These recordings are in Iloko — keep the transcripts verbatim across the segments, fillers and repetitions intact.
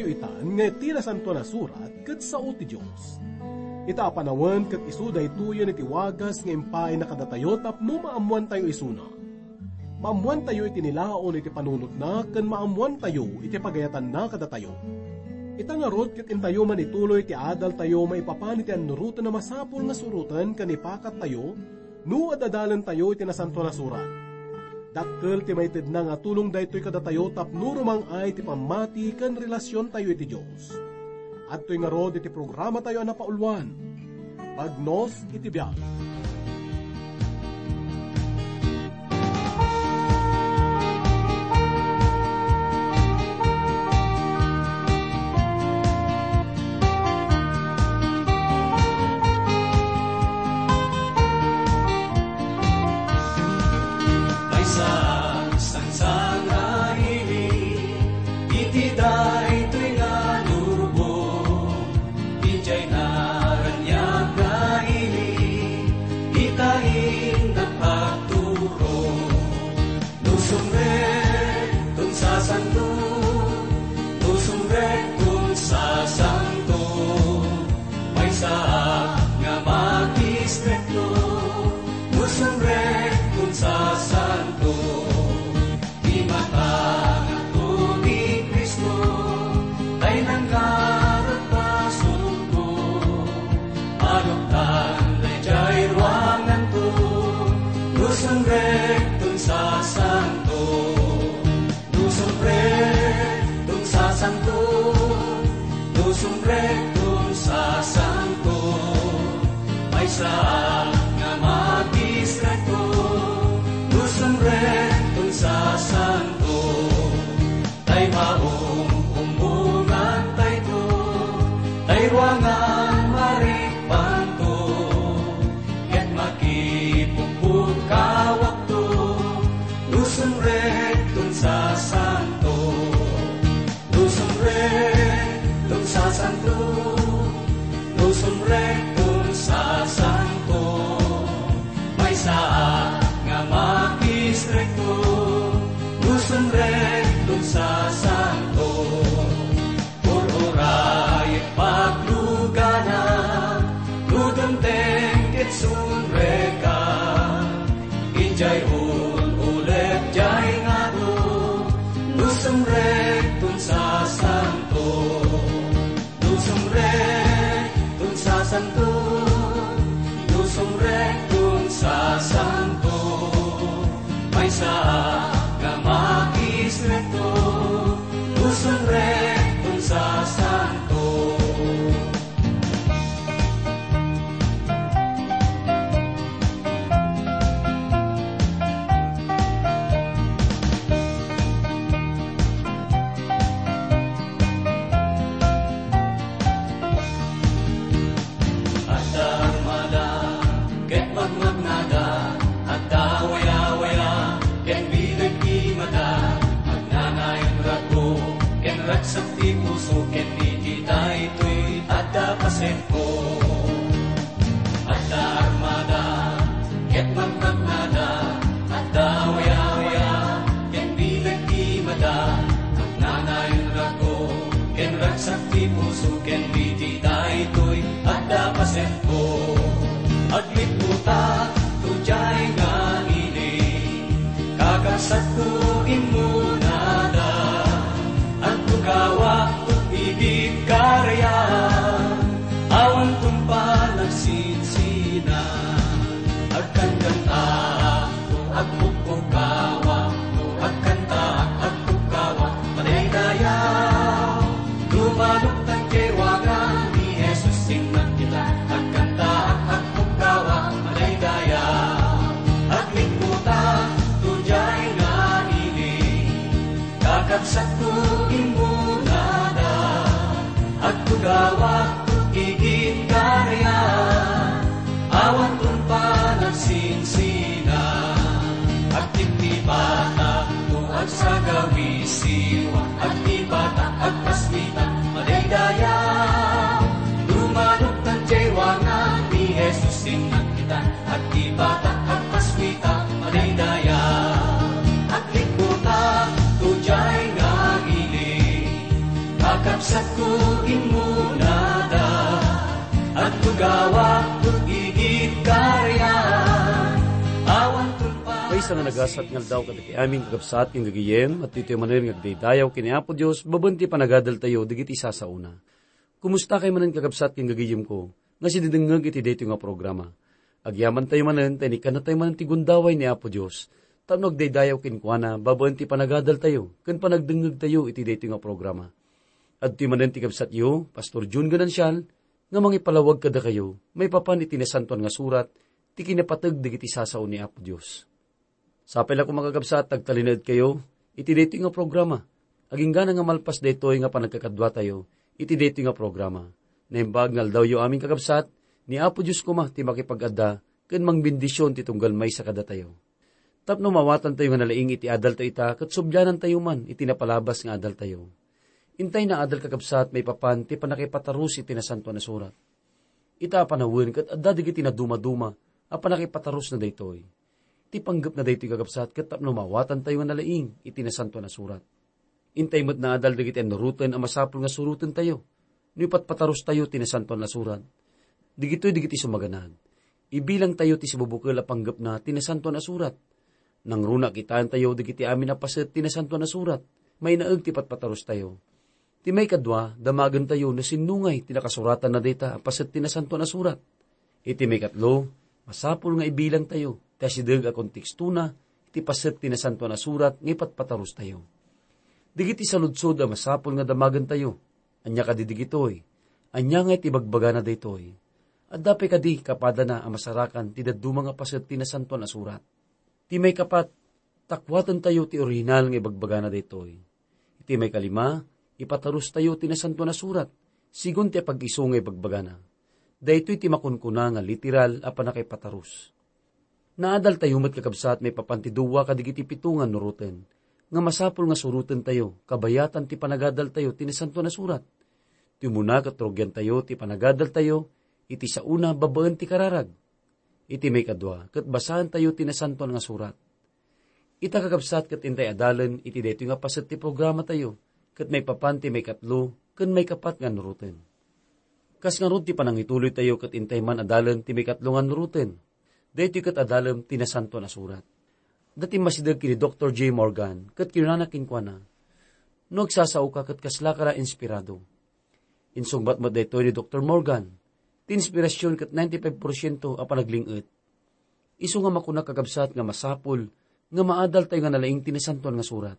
itan nga ti Nasantoan a Surat ket sao ti Dios. Ita a panawen ket isu daytoyen iti wagas nga impaayna kadatayo tapno maammoantayo isuna. Maammoantayo iti nilaon iti panunotna ken maammoantayo iti pagayatanna kadatayo. Ita ngarud ket intayo manituloy ti adaltayo maipapan iti annuroten a masapul nga suroten ken ipakattayo no ad-adalentayo iti Nasantoan a Surat. Dakkel ti maitedna nga tulong daytoy kadatayo tapno rumang-ay ti pammati ken relasiontayo iti Dios. Adtoy ngarud iti programatayo a napauluan, Bagnos iti Biag. Maysa a sangsangaili iti daytoy nga lubong, idiay naraniag nga ili, ita innak agturo. No sumrekton sasanto, no sumrekton sasanto, maysaak nga makisrekto. No sumrekton sasanto, ti matangakto ni Cristo, tay nangkarot basolko. Aloktan daydiay ruanganto, no sumrekton sasanto. No sumrekton sasanto, no sumrekton sasanto, maysaak nga makisrekto. No sumrekton sasanto, tay maum-umongantayto, tay ruangan marikpanto, ket makipukpukawakto, no sumrekton sasanto. No sumrekton sasanto, no sumrekton sasanto, maysaak nga makisrekto, no sumrekton sasanto. Ur-urayek paglugana, no dumteng ket sumrekka. Idiay ul-ulep diay ngato, no sumrekton sasanto. No sumrekton sasanto, no sumrekton sasanto, maysaak nga makisrekto, no sumrekton sasanto. Adda armada ket magmagnada, adda wayawaya ken bileg ti mata, agnanayon rago ken ragsak ti puso, ken iti daytoy adda pasenko. Adda armada ket magmagnada, adda wayawaya ken bileg ti mata, agnanayon rago ken ragsak ti puso, ken iti daytoy adda pasenko. Aglibbotak to diay nga ili, kakabsatko, immunada. Agtugawak to igid karian, awan tungpal agsinsina. Agkankantaak to agpukpukawak, to agkantaak agpukawak, madaydayaw. Dumaluktan ti ruangan ni Jesus, simmag kita. Agkantaak agpukawak, madaydayaw. Aglibbotak to diay nga ili, kakabsatko, immunada. Agtugawak to igid karian, awan tungpal agsinsina. Sa nga nagasat nga aldaw kadagiti amin, kakabsat ken gagayem, at ditoy manen nga agdaydayaw ken ni Apo Dios, babaen ti panagadaltayo dagiti sasaona. Kumusta kay manen, kakabsat ken gagayemko? Nga sididengngeg iti daytoy nga programa. Agyamantayo manen, ta inikannatayo manen ti gundaway ni Apo Dios. Tapno agdaydayaw kenkuana, babaen ti panagadaltayo, ken panagdengngegtayo iti daytoy nga programa. Adtoy manen ti kabsatyo, Pastor Jun Ganancial, nga mangipalawag kadakayo, maipapan iti Nasantoan nga Surat, ti kinapateg dagiti sasao ni Apo Dios. Sapay la koma, kakabsat, agtalinaedkayo iti daytoy nga programa. Aginggana nga malpas daytoy nga panagkakaduatayo iti daytoy nga programa. Naimbag nga aldawyo amin, kakabsat, ni Apo Dios koma ti makipag-adda ken mangbendisyon ti tunggal maysa kadatayo. Tapno maawatantayo nga nalaing iti adaltayo ita, ket sublianantayo man iti napalabas nga adaltayo. Intay nga adal, kakabsat, maipapan ti pannakaipatarus iti Nasantoan a Surat. Ita a panawen ket adda dagiti nadumaduma a pannakaipatarusna daytoy. Ti panggepna daytoy, kakabsat, ket tapno maawatantayo nga nalaing iti Nasantoan a Surat. Intay met nga adal dagiti annuroten a masapul nga surotentayo no ipatpatarustayo ti Nasantoan a Surat. Dagitoy dagiti sumaganad. Ibilangtayo ti sibubukel a panggepna ti Nasantoan a Surat. Nangruna a kitaentayo dagiti amin a paset ti Nasantoan a Surat. Mainaeg ti patpatarustayo. Ti maikadua, damagentayo no sinno ngay ti nakasuratanna dayta a paset ti Nasantoan a Surat. Iti maikatlo, masapul nga ibilangtayo ti asideg a kontekstona iti paset ti Nasantoan a Surat nga ipatpatarustayo. Dagiti saludsod a masapul nga damagentayo, ania kadi dagitoy? Ania ngay ti bagbagana daytoy? Adda pay kadi kapadana a masarakan ti dadduma nga paset ti Nasantoan a Surat? Ti maikapat, takuatentayo ti orihinal nga ibagbagana daytoy. Iti maikalima, ipatarustayo ti Nasantoan a Surat, sigun ti apag-isu nga ibagbagana. Daytoy ti makunkuna nga literal a pannakaipatarus. Naadaltayo met, kakabsat, maipapan ti dua kadagiti pito nga annuroten, nga masapul nga surotentayo, kabayatan ti panagadaltayo ti Nasantoan a Surat. Ti umuna ket rugiantayo ti panagadaltayo iti saona babaen ti kararag. Iti maikadua, ket basaentayo ti Nasantoan nga Surat. Ita, kakabsat, ket intay adalen iti daytoy nga paset ti programatayo, ket maipapan ti maikatlo ken maikapat nga annuroten. Kas ngarud ti panangituloytayo ket intay man adalen ti maikatlo nga annuroten. Daytoy ket adalem ti Nasantoan a Surat. Adda ti masideg ken ni Doktor J. Morgan, ket kinunana kenkuana, "No agsasaoka ket kaslaka la inspirado." Insungbat met daytoy ni Doktor Morgan, "Ti inspirasyon ket ninety-five porsiento a panagling-et." Isu nga makunak, kakabsat, nga masapul nga maadaltayo nga nalaing ti Nasantoan nga Surat.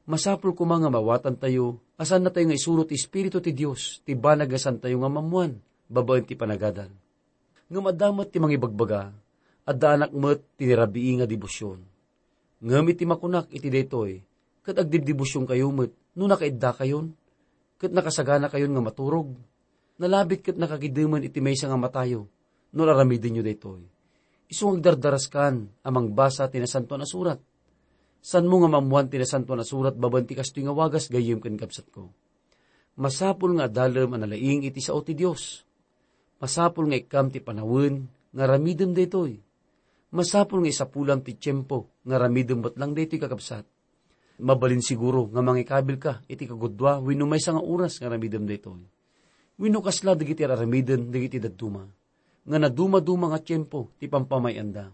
Masapul koma nga maawatantayo a saannatayo nga isuro ti Espiritu ti Dios ti banag nga saantayo nga maammoan babaen ti panagadal. Ngem adda met ti mangibagbaga, adda anak met ti nirabii nga debosion. Ngem iti makunak iti daytoy, ket agdibdebosionkayo met no nakaiddakayon, ket nakasaganakayon nga maturog. Nalabit ket nakagidemen iti maysa nga matayo no aramidenyo daytoy. Isu nga agdardaraskan a mangbasa ti Nasantoan a Surat. Saanmo nga maammoan ti Nasantoan a Surat babaen ti kastoy nga wagas, gayyem ken kabsatko. Masapul nga adalem a nalaing iti sao ti Dios. Masapul nga ikkam ti panawen nga aramidem daytoy. Masapul nga isapulam ti tiempo nga aramidem met lang daytoy, kakabsat. Mabalin siguro nga mangikabilka iti kagudua wenno maysa nga oras nga aramidem daytoy. Wenno kasla dagiti ar-aramiden dagiti dadduma, nga nadumaduma nga tiempo ti pampamay-anda.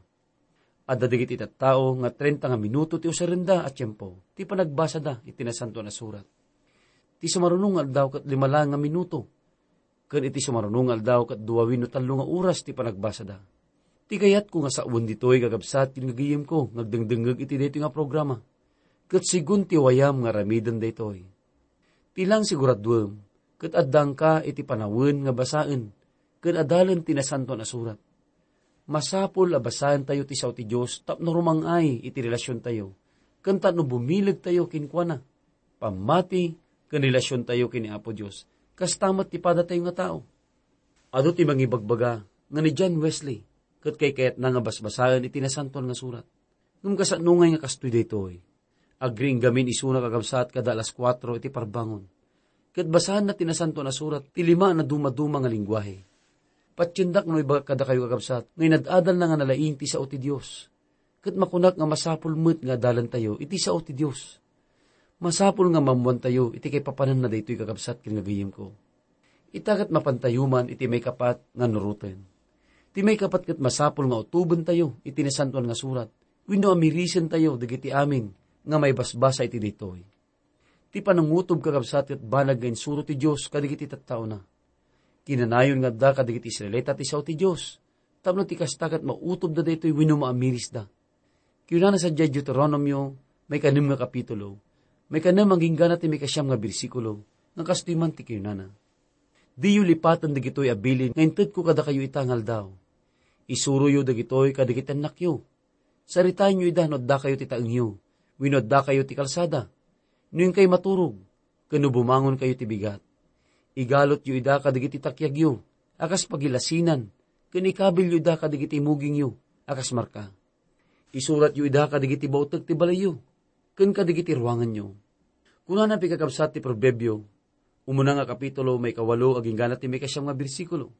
Adda dagiti tattao nga trenta nga minuto ti usarenda a tiempo ti panagbasada iti Nasantoan a Surat. Ti sumaruno nga aldaw ket lima laeng nga minuto, ken iti sumaruno nga aldaw ket dua wenno tallo nga oras ti panagbasada. Ti kayatko nga sawen ditoy, kakabsat ken gagayemko nga agdengdengngeg iti daytoy nga programa, ket sigun ti wayam nga aramiden daytoy. Ti lang siguraduem, ket addangka iti panawen nga basaen ken adalen ti Nasantoan a Surat. Masapul a basaentayo ti sao ti Dios tapno rumang-ay iti relasiontayo, ken tapno bumilegtayo kenkuana. Pammati ken relasiontayo ken ni Apo Dios, kasta met ti padatayo nga tao. Adu ti mangibagbaga nga ni John Wesley ket kaykayatna nga basbasaen iti Nasantoan nga Surat. Ngem kasano ngay nga kastoy daytoy? Agriing gamin isuna, kakabsat, kada alas kuatro iti parbangon. Ket basaenna ti Nasantoan a Surat ti lima a nadumaduma nga lengguahe. Patiendak no ibagak kadakayo, kakabsat, nga inad-adalna nga nalaing ti sao ti Dios. Ket makunak nga masapul met nga adalentayo iti sao ti Dios. Masapul nga maammoantayo iti kaipapananna daytoy, kakabsat ken gagayemko. Ita ket mapantayo man iti maikapat nga annuroten. Ti maikapat ket masapul nga utobentayo iti Nasantoan nga Surat. Wenno amirisentayo dagiti amin nga maibasbasa iti daytoy? Ti panangutob, kakabsat, ket banag nga insuro ti Dios kadagiti tattaona. Kinanayon nga adda kadagiti Israelita ti sao ti Dios, tapno ti kasta ket mautobda daytoy wenno maamirisda. Kinunana sadiay Deuteronomio, maikanem nga kapitulo, maikanem agingga na ti maikasiam nga bersikulo, nga kastoy man ti kinunana: Diyo lipaten dagitoy a bilin nga intedko kadakayo ita nga aldaw. Isuroyo dagitoy kadagiti annakyo. Saritaenyo ida no addakayo ti taengyo, wenno addakayo ti kalsada, no inkay maturog, ken no bumangonkayo ti bigat. Igalutyo ida kadagiti takiagyo a kas pagilasinan, ken ikabilyo ida kadagiti imugingyo a kas marka. Isuratyo ida kadagiti bauteg ti balayyo, ken kadagiti ruanganyo. Kunana pay, kakabsat, ti Proverbio, umuna nga kapitulo, maikawalo agingga na ti maikasiam nga bersikulo: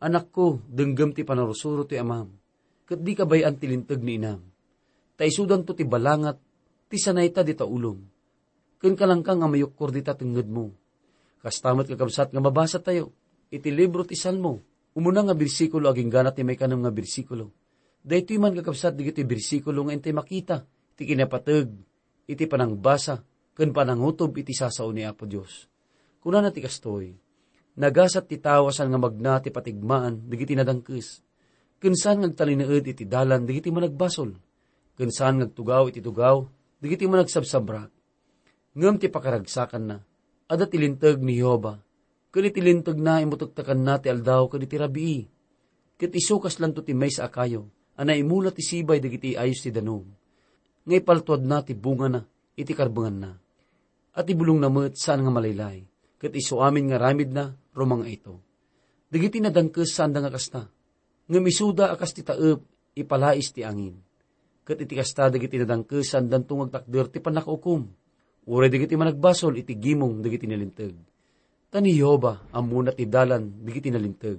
Anakko, denggem ti panarursuro ti amam, ket dika bay-an ti linteg ni inam. Ta isudanto ti balangat ti sanayta dita ulom, ken kalangka nga mayukkor dita tengngedmo. Kasta met, kakabsat, nga mabasatayo iti libro ti Salmo, umuna nga bersikulo agingga na ti maikanem nga bersikulo. Daytoy man, kakabsat, dagiti bersikulo nga intay makita ti kinapateg iti panangbasa ken panangutob iti sasao ni Apo Dios. Kunana ti kastoy: Nagasat ti tao a saan nga magna ti patigmaan dagiti nadangkes, ken saan nga agtalinaed iti dalan dagiti managbasol, ken saan nga agtugaw iti tugaw dagiti managsabsabrak. Ngem ti pakaragsakanna, adda ti linteg ni Jehovah, ken iti lintegna, imutektekanna ti aldaw ken iti rabii. Ket isu kaslanto ti maysa a kayo a naimula ti sibay dagiti ayos ti danum, nga ipaltuadna ti bungana iti karbenganna. A ti bulongna met saan nga malaylay, ket isu amin nga aramidna rumang-ayto. Dagiti nadangkes, saanda nga kasta, ngem isuda a kas ti taep ipalais ti angin. Ket iti kasta, dagiti nadangkes saandanto nga agtakder ti pannakaukom, uray dagiti managbasol iti gimong dagiti nalinteg. Ta ni Jehovah ammona ti dalan dagiti nalinteg,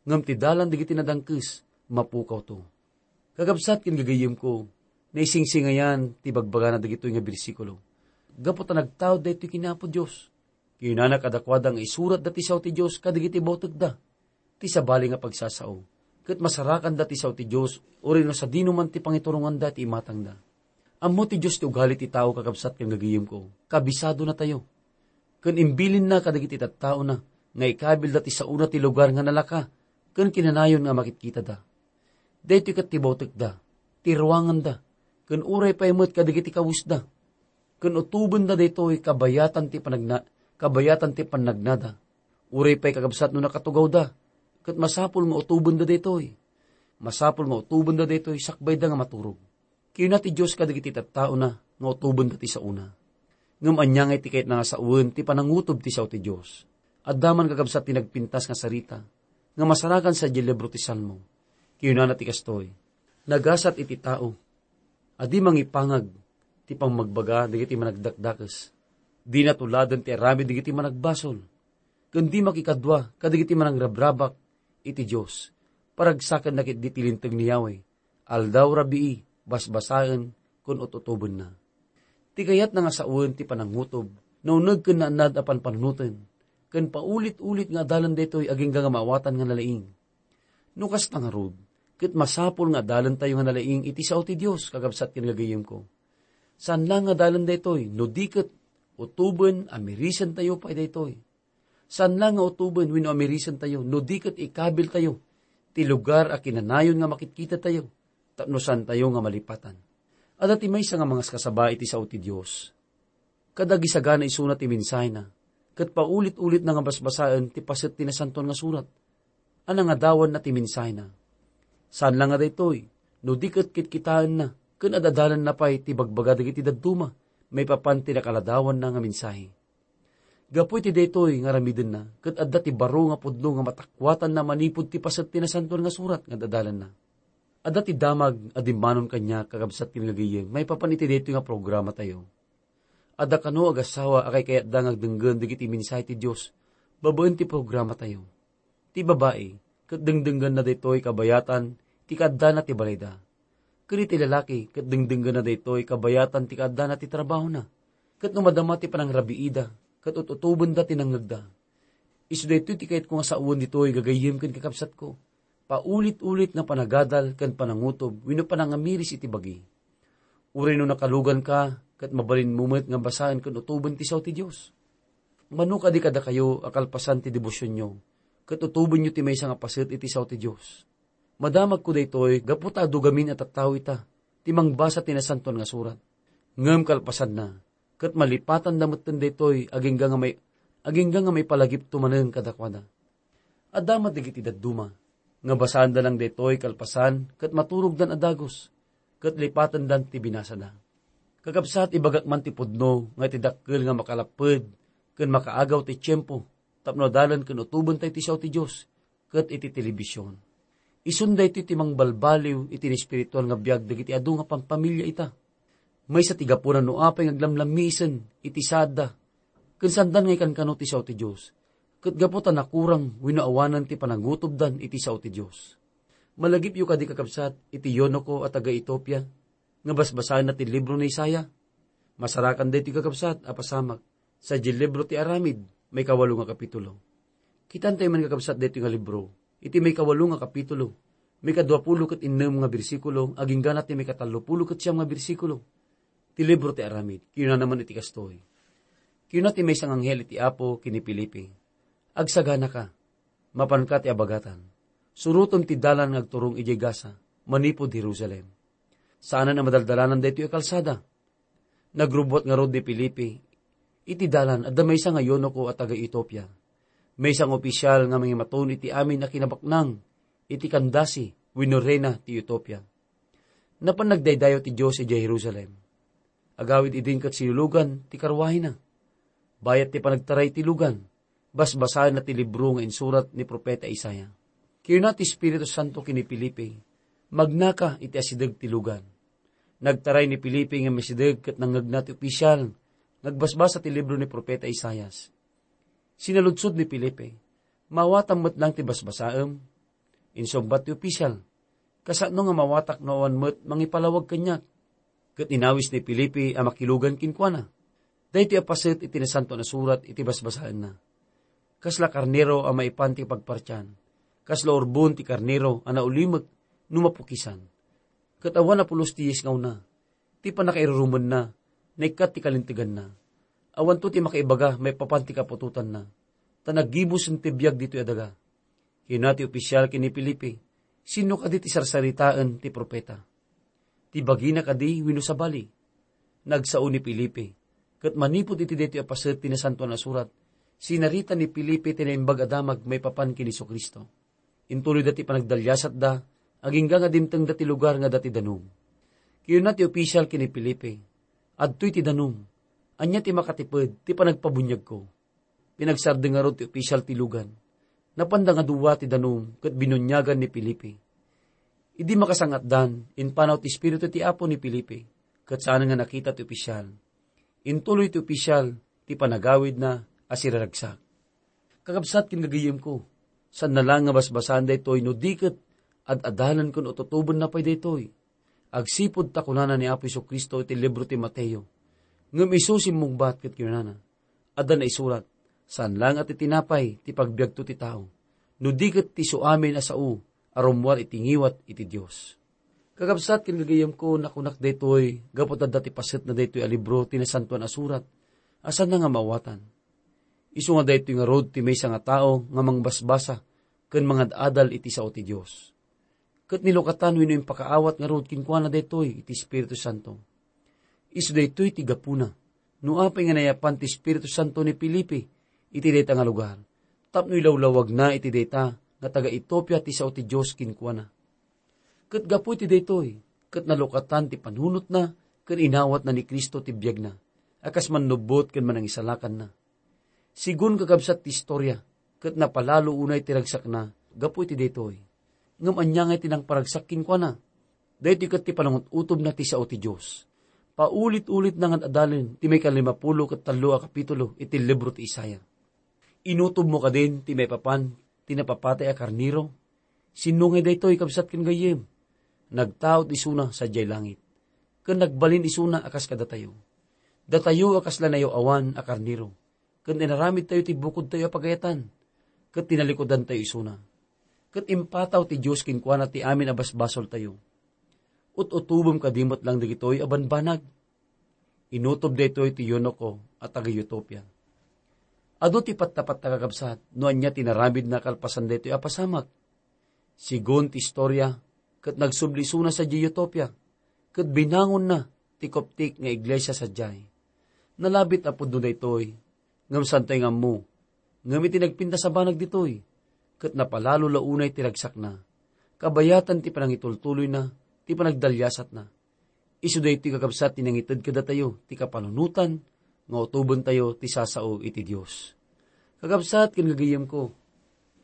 ngem ti dalan dagiti nadangkes mapukawto. Kakabsat ken gagayyemko, naisingsingayan ti bagbagana dagitoy nga bersikulo, gapu ta nagtaud daytoy ken ni Apo Dios. Kinunana kadakuada nga isuratda ti sao ti Dios kadagiti bautekda, ti sabali nga pagsasao, ket masarakanda ti sao ti Dios, uray no sadino man ti pangituronganda ti imatangda. Ammo ti Dios ti ugali ti tao, kakabsat ken gagayyemko, kabisadonatayo. Ken imbilinna kadagiti tattaona nga ikabilda ti saona ti lugar nga nalaka ken kinanayon nga makitkitada. Daytoy ket ti bautekda, ti ruanganda, ken uray pay met kadagiti kawesda. Ken utobenda daytoy kabayatan ti panagna-, kabayatan ti pannagnada. Uray pay, kakabsat, no nakatugawda, ket masapul nga utobenda daytoy. Masapul nga utobenda daytoy sakbayda nga maturog. Kinuna ti Dios kadagiti tattaona nga utobenda ti saona. Ngem ania ngay ti kayatna nga sawen ti panangutob ti sao ti Dios? Adda man, kakabsat, ti nagpintas nga sarita nga masarakan sadiay libro ti Salmo. Kinunana ti kastoy: Nagasat iti tao a di mangipangag ti pammagbaga dagiti managdakdakes. Dina tuladen ti aramid dagiti managbasol, ken di makikadua kadagiti manangrabrabak iti Dios. Paragsakenna ketdi ti linteg ni Yahweh, aldaw, rabii, basbasaen, ken ut-utobenna. Ti kayatna nga sawen ti panangutob, nauneg ken naannad a panpanunoten, ken paulit-ulit nga adalan daytoy agingga nga maawatan nga nalaing. No kasta ngarud, ket masapul nga adalentayo nga nalaing iti sao ti Dios, kakabsat ken gagayyemko. Saan laeng nga adalan daytoy, no di ket utoben, amirisentayo pay daytoy. Saan laeng nga utoben wenno amirisentayo, no di ket ikabiltayo ti lugar a kinanayon nga makitkitatayo, tapno saantayo nga malipatan. Adda ti maysa nga mangaskasaba iti sao ti Dios. Kadagisagana isuna ti mensahena, ket paulit-ulitna nga basbasaen ti paset ti Nasantoan nga Surat. A nangadawanna ti mensahena. Saan la nga daytoy, no di ket kitkitaenna ken ad-adalanna pay ti bagbaga dagiti dadduma maipapan ti nakaladawanna nga mensahe. Gapu iti daytoy nga aramidenna, ket adda ti baro nga pudno nga matakuatanna manipud ti paset ti Nasantoan nga Surat nga ad-adalanna. Adda ti damag a dimmanon kaniak, kakabsat ken gagayyem, maipapan iti daytoy nga programatayo. Adda kano agassawa a kaykayatda nga agdenggen dagiti mensahe ti Dios babaen ti programatayo. Ti babai, ket dengdenggenna daytoy kabayatan ti kaaddana ti balayda. Ken iti lalaki, ket dengdenggenna daytoy kabayatan ti kaaddana ti trabahona. Ket no madama ti panangrabiida, ket ut-utobenda ti nangngegda. Isu daytoy ti kayatko nga sawen ditoy, gagayyem ken kakabsatko. paulit-ulit nga panagadal ken panangutob wenno panangamiris iti bagi. Uray no nakaluganka, ket mabalinmo met nga basaen ken utoben ti sao ti Dios. Mano kadi kadakayo a kalpasan ti debosionyo, ket utobenyo ti maysa nga paset iti sao ti Dios. Madamagko daytoy gapu ta adu gamin a tattao ita ti mangbasa ti Nasantoan nga Surat. Ngem kalpasanna, ket malipatanda metten daytoy agingga nga may-, agingga nga maipalagipto manen kadakuada. Adda met dagiti dadduma nga basaanda lang daytoy kalpasan ket maturogdan a dagus, ket lipatendan ti binasada. Kakabsat, ibagak man ti pudno nga iti dakkel nga makalapped ken makaagaw ti tiempo tapno adalen ken utobentayo ti sao ti Dios ket iti telebision. Isun daytoy ti mangbalbaliw iti espirituan nga biag dagiti adu nga pampamilia ita. Maysa ti gapuna no apay nga aglamlammiisen iti saadda, ken saandan nga ikankano ti sao ti Dios, ket gapu ta nakurang wenno awanen ti panangutobdan iti sao ti Dios. Malagipyo kadi, kakabsat, iti eunuko a taga-Etiopia nga basbasaenna ti libro ni Isaiah? Masarakan daytoy, kakabsat, a pasamak sadiay libro ti Aramid, maikawalo nga kapitulo. Kitantayo man, kakabsat, daytoy nga libro iti maikawalo nga kapitulo, maikaduapulo ket innem nga bersikulo, aginggana ti maikatallopulo ket siam nga bersikulo ti libro ti Aramid. Kinunana man iti kastoy: Kinuna ti maysa nga anghel iti Apo ken ni Felipe, "Agsaganaka, mapanka ti abagatan. Surotem ti dalan nga agturong idiay Gaza, manipud Jerusalem." Saanen a madaldalanan daytoy a kalsada. Nagrubbuat ngarud ni Felipe. Iti dalan, adda maysa nga eunuko a taga-Etiopia. Maysa nga opisyal nga mangimaton iti amin a kinabaknang iti Candace wenno reyna ti Etiopia. Napan nagdaydayaw ti Dios idiay Jerusalem. Agawid idin ket sinulugan ti karruahina. Bayat ti panagtaray ti lugan, basbasaenna ti libro nga insurat ni Profeta Isaiah. Kinuna ti Espiritu Santo ken ni Felipe, "Magnaka iti asideg ti lugan." Nagtaray ni Felipe nga masideg ket nangngegna ti opisyal nga agbasbasa ti libro ni Profeta Isaias. Sinaludsod ni Felipe, "Maawatam met laeng ti basbasaem?" Insungbat ti opisyal, "Kasano nga maawatak no awan met mangipalawag kaniak?" Ket inawis ni Felipe a makilugan kenkuana. Daytoy a paset iti Nasantoan a Surat iti basbasaenna: "Kasla karnero a maipan ti pagpartian, kasla urbon ti karnero a naulimek no mapukisan. Ket awan a pulos ti yis nga una, ti pannakairurumenna, naikkat ti kalinteganna. Awanto ti makaibaga maipapan ti kaputotanna, ta naggibusen ti biag ditoy a daga." Kinuna ti opisyal ken ni Felipe, "Sinno kadi ti sarsaritaen ti profeta? Ti bagina kadi wenno sabali?" Nagsao ni Felipe, ket manipud iti daytoy a paset ti Nasantoan a Surat, sinarita ni Felipe ti Naimbag a Damag maipapan ken ni Jesu-Cristo. Intuloyda ti panagdaliasatda, agingga nga dimtengda ti lugar nga adda ti danum. Kinuna ti opisyal ken ni Felipe, "Adtoy ti danum. Ania ti makatiped ti panagpabuniagko?" Pinagsardeng ngarud ti opisyal ti lugan. Napanda nga dua ti danum ket binuniagan ni Felipe. Idi makasang-atdan, impanaw ti Espiritu ti Apo ni Felipe, ket saan nga nakita ti opisyal. Intuloy ti opisyal ti panagawidna a siraragsak. Kakabsat ken gagayyemko, saanna laeng nga basbasaen daytoy no di ket ad-adalan ken ututobenna pay daytoy. Agsipud ta kunana ni Apo Jesu-Cristo iti libro ti Mateo, ngem isu simmungbat ket kinunana, "Adda naisurat, 'Saan laeng a ti tinapay ti pagbiagto ti tao, no di ket ti isuamin a sao a rummuar iti ngiwat iti Dios.'" Kakabsat ken gagayyemko, nakunak daytoy gapu ta adda ti pasetna daytoy a libro ti Nasantoan a Surat a saanna nga maawatan. Isu nga daytoy ngarud ti maysa nga tao nga mangbasbasa ken mangad-adal iti sao ti Dios. Ket nilukatan wenno impakaawat ngarud kenkuana daytoy iti Espiritu Santo. Isu daytoy ti gapuna no apay nga nayapan ti Espiritu Santo ni Felipe iti dayta nga lugar, tapno ilawlawagna iti dayta nga taga-Etiopia ti sao ti Dios kenkuana. Ket gapu iti daytoy, ket nalukatan ti panunotna ken inawatna ni Cristo ti biagna a kas mannubbot ken manangisalakanna. Sigun, kakabsat, ti istoria, ket napalalo unay ti ragsakna gapu iti daytoy. Ngem ania ngay ti nangparagsak kenkuana? Daytoy ket ti panangut-utobna ti sao ti Dios. Paulit-ulitna nga ad-adalen ti maikalimapulo ket tallo a kapitulo iti libro ti Isaiah. Inutobmo kadin ti maipapan ti napapatay a karnero? Sinno ngay daytoy, kabsat ken gayyem? Nagtaud isuna sadiay langit, ken nagbalin isuna a kas kadatayo. Datayo a kasla nayaw-awan a karnero, ken inaramidtayo ti bukodtayo a pagayatan, ket tinalikudantayo isuna. Ket impataw ti Dios kenkuana ti amin a basbasoltayo. Ut-utobem kadi met lang dagitoy a banbanag. Inutob daytoy ti eunuko a taga-Etiopia. Adu ti patpatta, kakabsat, no ania ti naramidna kalpasan daytoy a pasamak. Sigun ti istoria, ket nagsubli isuna sadiay Etiopia, ket binangonna ti Coptic nga iglesia sadiay. Nalabit a pudno daytoy, ngem saantoy nga ammo. Ngem iti nagpintas a banag ditoy, ket napalalo la unay ti ragsakna, kabayatan ti panangitultuloyna, ti panagdaliasatna. Isu daytoy, kakabsat, ti nangited kadatayo ti kapanunotan nga utobentayo ti sasao iti Dios. Kakabsat ken gagayyemko,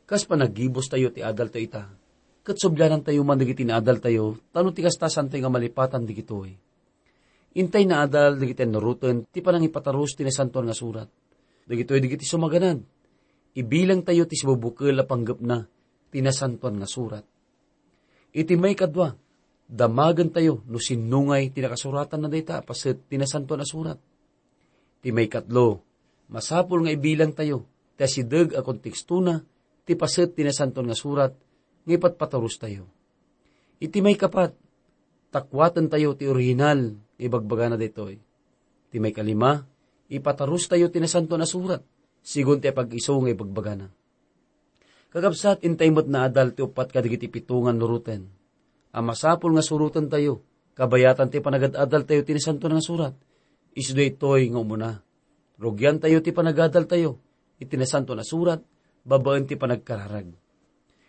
kas panaggibustayo ti adaltayo ita, ket sublianantayo man dagiti naadaltayo, ta no ti kasta, saantayo nga malipatan dagitoy. Intay naadal dagiti annuroten ti panangipatarus ti Nasantoan nga Surat. Dagitoy dagiti sumaganad. Ibilangtayo ti sibubukel a panggepna ti Nasantoan nga Surat. Iti maikadua, damagentayo no sinno ngay ti nakasuratanna dayta a paset ti Nasantoan a Surat. Iti maikatlo, masapul nga ibilangtayo ti asideg a kontekstona ti paset ti Nasantoan nga Surat nga ipatpatarustayo. Iti maikapat, takuatentayo ti orihinal nga ibagbagana daytoy. Iti maikalima, ipatarustayo ti Nasantoan a Surat, sigun ti apag-isu nga ibagbagana. Kakabsat, intay met naadal ti uppat kadagiti pito nga annuroten a masapul nga surotentayo, kabayatan ti panagad-adaltayo ti Nasantoan nga Surat. Isu daytoy nga umuna. Rugiantayo ti panagadaltayo iti Nasantoan a Surat babaen ti panagkararag.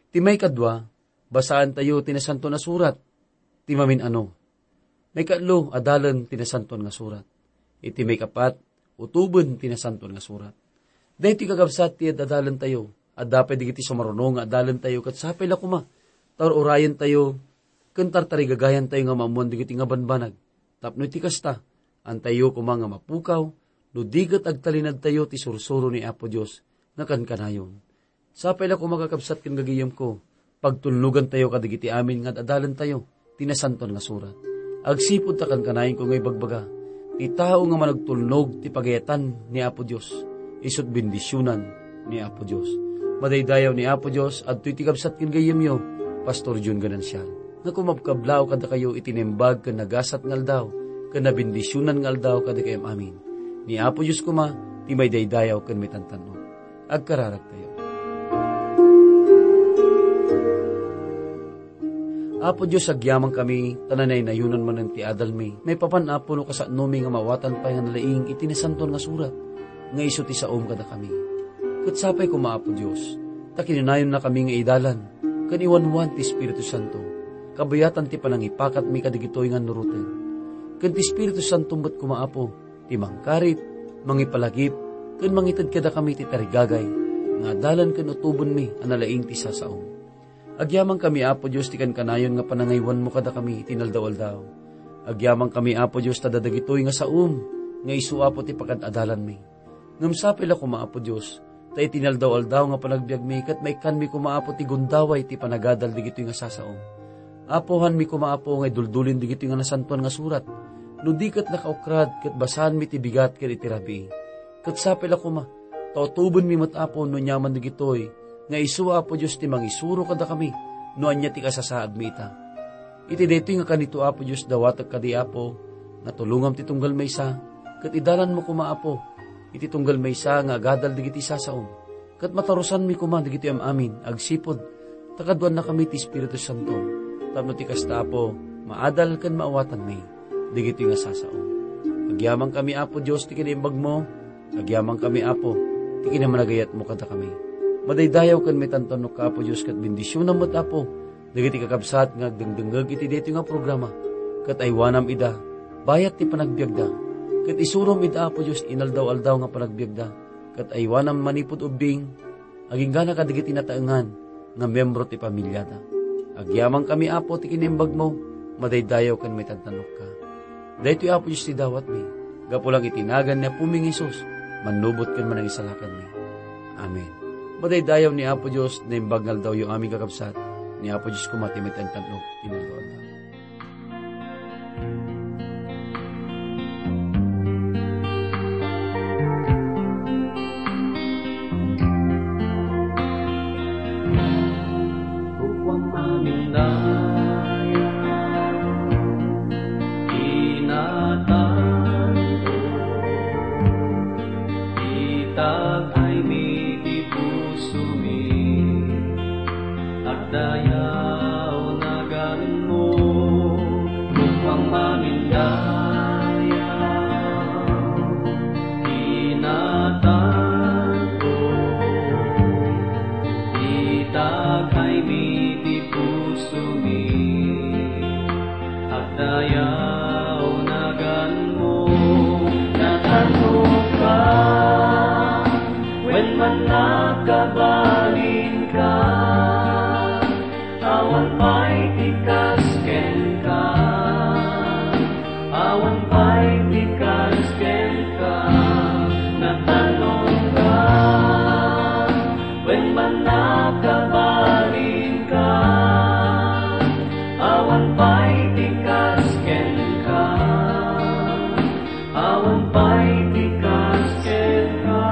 Ti maikadua, basaentayo ti Nasantoan a Surat ti mamin-ano. Maikatlo, adalen ti Nasantoan nga Surat. Iti maikapat, utoben ti Nasantoan nga Surat. Daytoy, kakabsat, ti ad-adalentayo. Adda pay dagiti sumaruno nga adalentayo ket sapay la koma ta ur-urayentayo ken tartarigagayantayo nga maammoan dagiti nga banbanag. Tapno iti kasta, antayo koma nga mapukaw no di ket agtalinadtayo ti sursuro ni Apo Dios nga kankanayon. Sapay la koma, kakabsat ken gagayyemko, pagtulnogantayo kadagiti amin nga ad-adalentayo ti Nasantoan nga Surat. Agsipud ta kankanayon ko nga ibagbaga, ti tao nga managtulnog ti pagayatan ni Apo Dios, isut' bendisionan ni Apo Dios. Madaydayaw ni Apo Dios, adtoy ti kabsat ken gayyemyo, Pastor Jun Ganancial, nga kumabkablaaw kadakayo iti naimbag ken nagasat nga aldaw, ken nabendisionan nga aldaw kadakayam amin. Ni Apo Dios koma ti maidaydayaw ken maitantan-ok. Agkararagtayo. Apo Dios, agyamankami ta nanaynayonan manen ti adalmi. Maipapan, Apo, no kasanomi nga maawatan pay nga nalaing iti Nasantoan nga Surat nga isu ti saom kadakami. Ket sapay koma, Apo Dios, ta kinunayonnakami nga idalan ken iwanwan ti Espiritu Santo, kabayatan ti panangipakatmi kadagitoy nga annuroten. Ken ti Espiritu Santo met koma, Apo, ti mangkarit, mangipalagip, ken mangited kadakami ti tarigagay nga adalan ken utobenmi a nalaing ti sasaom. Agyamankami, Apo Dios, ti kankanayon nga panangaywanmo kadakami iti inaldaw-aldaw. Agyamankami, Apo Dios, ta dagitoy nga saom nga isu, Apo, ti pakad-adalanmi. Ngem sapay la koma, Apo Dios, ta iti inaldaw-aldaw nga panagbiagmi ket maikkanmi koma, Apo, ti gundaway ti panagadal dagitoy nga sasaom. Apo, haanmi koma, Apo, nga iduldulin dagitoy nga nasantoan nga surat, no di ket nakaukrad ket basaanmi ti bigat ken iti rabii. Ket sapay la koma, ta utobenmi met, Apo, no aniaman dagitoy, nga isu, Apo Dios, ti mangisuro kadakami no ania ti kasasaadmi ita. Iti daytoy nga kanito, Apo Dios, dawatek kadi, Apo, nga tulongam ti tunggal maysa, ket idalanmo koma, Apo, iti tunggal maysa nga agadal dagiti sasaom, ket matarusanmi koma dagiti am-amin agsipud ta kaduannakami ti Espiritu Santo, tapno ti kasta, Apo, maadal ken maawatanmi dagiti nga sasaom. Agyamankami, Apo Dios, ti kinaimbagmo, agyamankami, Apo, ti kinamanagayatmo kadakami. Madaydayaw ken maitantanokka, Apo Dios, ket bendisionam met, Apo, dagiti kakabsat nga agdengdengngeg iti daytoy nga programa, ket aywanam ida bayat ti panagbiagda, ket isurom ida, Apo Dios, inaldaw-aldaw nga panagbiagda, ket aywanam manipud ubbing, agingga kadagiti nataengan nga membro ti pamiliada. Agyamankami, Apo, ti kinaimbagmo, madaydayaw ken maitantanokka. Daytoy, Apo Dios, ti dawatmi, gapu lang iti nagan ni Apomi nga Jesus, mannubot ken manangisalakanmi. Amen. Madaydayaw ni Apo Dios, naimbag nga aldawyo amin, kakabsat. Ni Apo Dios koma ti maitantanok, inaldaw-aldaw. Dayaw naganmo, natanokka, wen man nakabalinka, awan pay ti kas kenka, awan pay ti kas kenka, natanokka, wen man nakabalinka, awan pay ti kas kenka, awan pay ti kas kenka.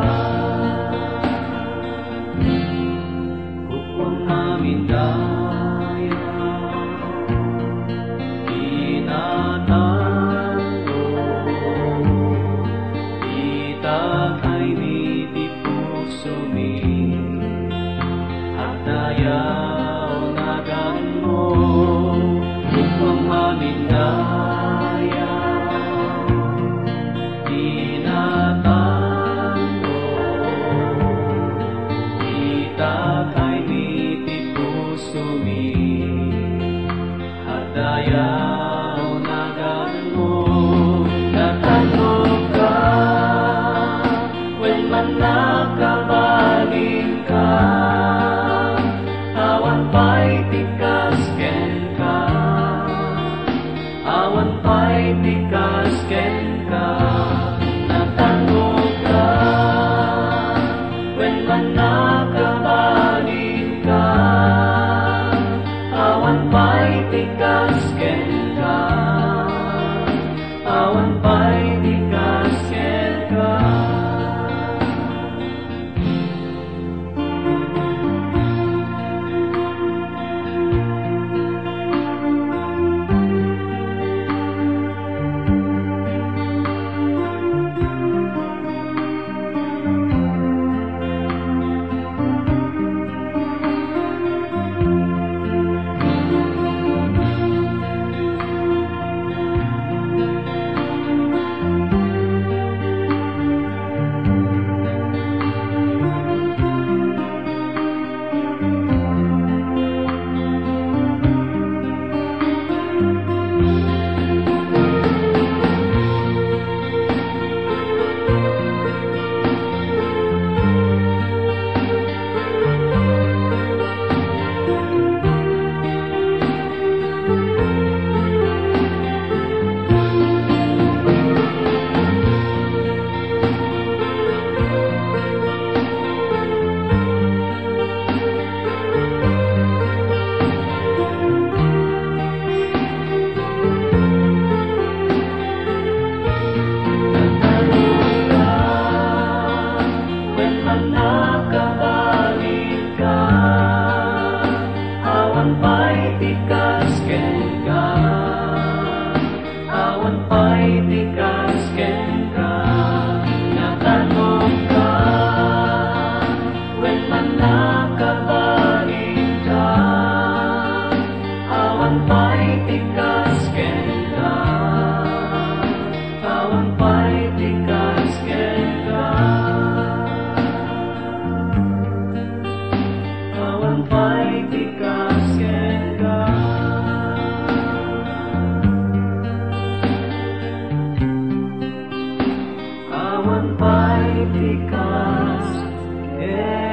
Hukom amin dayaw, inatanto, itakaymi ti pusomi. Dayaw naganmo, hukom amin dayaw, inatanto, itakaymi ti pusomi. Dayaw naganmo, natanokka, wen man nakabalinka, awan pay ti kas kenka, awan pay ti kas kenka, natanokka, wen man nakabalinka, awan pay ti kas kenka, awan pay ti kas kenka. Wen man nakabalinka, awan pay ti kas kenka, awan pay ti kas kenka, natanokka, wen man nakabalinka, awan pay ti kas kenka, awan pay ti kas kenka, awan pay ti kas kenka, awan pay ti kas kenka.